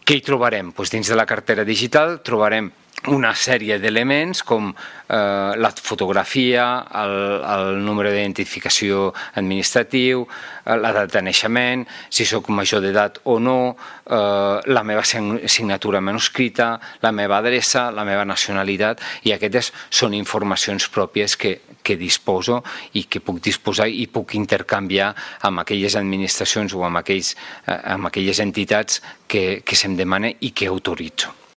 Què hi trobarem? Dins de la cartera digital trobarem una sèrie d'elements com la fotografia, el número d'identificació administratiu, la data de naixement, si sóc major d'edat o no, la meva signatura manuscrita, la meva adreça, la meva nacionalitat, i aquestes són informacions pròpies que disposo i que puc disposar i puc intercanviar amb aquelles administracions o amb aquelles entitats que se'm demana i que autoritzo.